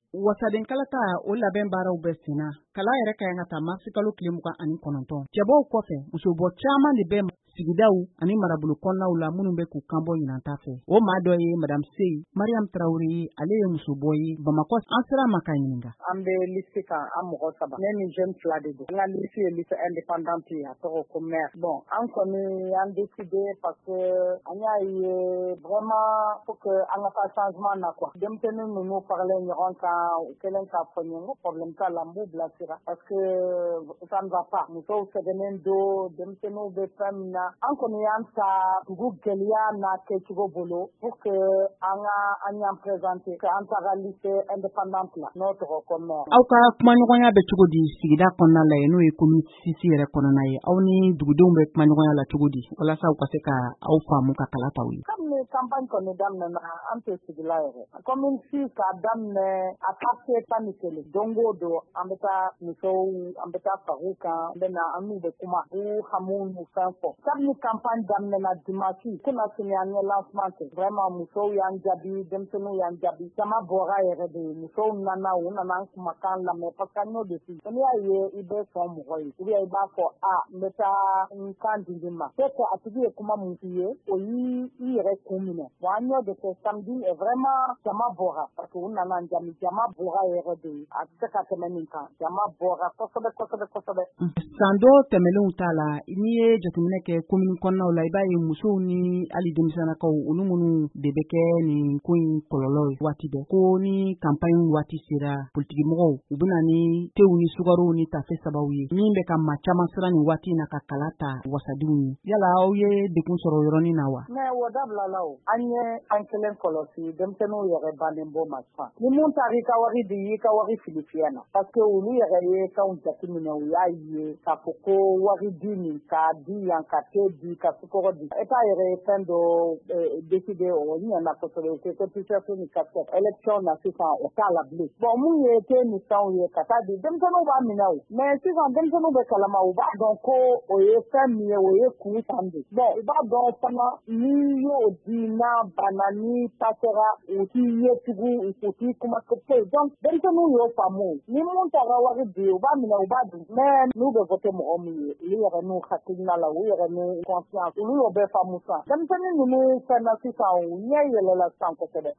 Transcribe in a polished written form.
Wasaden kalata, o labɛn baaraw bɛ senna. Kala yɛrɛ ka kan ka ta marisi kalo tile 29. Cɛbɔw kɔfɛ, musobɔ caman de bɛ sigidaw ani marabolo kɔnɔnaw la minnu bɛ k'u kanbɔ ɲinanta fɛ. O maa dɔ ye Madame Sey Mariam Tarawele ye. Ale ye musobɔ ye Bamakɔ. An sera ma ka ɲininka. An bɛ liste kan, an mɔgɔ saba, ne ni jeune fila de don. An ka liste ye liste indépendante ye, a tɔgɔ ko mare. Bon, an kɔni y'an décidé parce que an y'a ye vraiment faut que an ka taa changement na quoi. Denmisɛnnin ninnu faralen ɲɔgɔn kan, u kɛlen k'a fɔ n ye, n ko problème t'a la, n b'u bilasira parce que ça ne va pas. Musow sɛgɛnnen don, denmisɛnninw bɛ fɛn min na. An kɔni y'an ta dugu gɛlɛya n'a kɛcogo bolo pour que an ka an y'an présenter que an taga liste indépendante la, n'o tɔgɔ ko mare. Aw ka kumaɲɔgɔnya bɛ cogo di sigida kɔnɔna la yen, n'o ye commune 6 yɛrɛ kɔnɔna ye? Aw ni dugudenw bɛ kumaɲɔgɔnya la cogo di walasa u ka se ka aw faamu ka kala t'aw ye? Kabini campagne kɔni daminɛna, an tɛ sigila yɛrɛ. Commune 6 k'a daminɛ a quartier 11, don o don an bɛ taa musow, an bɛ taa far'u kan, an bɛ na, an n'u bɛ kuma, u hamiw n'u fɛn fɔ. Kabini campagne daminɛna dimanche kunna sini, an ye lancement kɛ. Vraiment, musow y'an jaabi, denmisɛnninw y'an jaabi, jama bɔra yɛrɛ de. Musow nana, u nana an kumakan lamɛn parce que an y'o de f'i n'i y'a ye i bɛ sɔn mɔgɔ ye ou bien i b'a fɔ a n bɛ taa n kan di nin ma, peut être a tigi ye kuma mun f'i ye, o y'i i yɛrɛ kun minɛ. Bon, an y'o de kɛ samedi et vraiment jama bɔra parce que u nana an jaabi. Jama bɔra yɛrɛ de, a tɛ se ka tɛmɛ nin kan. Jama bɔra kosɛbɛ kosɛbɛ kosɛbɛ. San dɔ tɛmɛnlenw t'a la, n'i ye jateminɛ kɛ commune kɔnɔnaw la, i b'a ye musow ni hali denmisɛnnakaw, olu minnu de bɛ kɛ nin ko in kɔlɔlɔ ye waati bɛɛ, ko ni campagne waati sera, politikimɔgɔw u bɛ na ni tew ni sukarow ni tafe sabaw ye min bɛ ka maa caman siran nin waati in na ka kala ta wasadenw ye. Yala aw ye degun sɔrɔ o yɔrɔnin na wa? Mais o dabila la. O an ye an kelen kɔlɔsi, denmisɛnninw yɛrɛ bannen bɔ ma sisan. Ni mun taara i ka wari di, i ka wari fili fiyɛ na parce que olu yɛrɛ ye fɛnw jateminɛ, u y'a ye k'a fɔ ko wari di nin k'a di yan, ka te di, ka sukaro di. État yɛrɛ ye fɛn dɔ décidé, o ɲɛna kosɛbɛ. U ko ko t-shirt ni casquette, élection na sisan o t'a la bilen. Bon, mun ye te ni fɛnw ye ka taa di denmisɛnninw b'a minɛ o. Mais sisan denmisɛnninw bɛ kalama, u b'a dɔn ko o ye fɛn min ye, o ye kun fan de. Bon, u b'a dɔn fana n'i y'o di, n'a banna, n'i passera, u t'i ye tugun, u t'i kuma foyi. Donc denmisɛnninw y'o faamu. Ni mun taara wari di, u b'a minɛ, u b'a dun. Mais n'u bɛ voter mɔgɔ min ye, olu yɛrɛ n'u hakilina la, u yɛrɛ n'u conscience, olu y'o bɛɛ faamu sisan. Denmisɛnnin ninnu fɛn na sisan, u ɲɛ yɛlɛla sisan kosɛbɛ.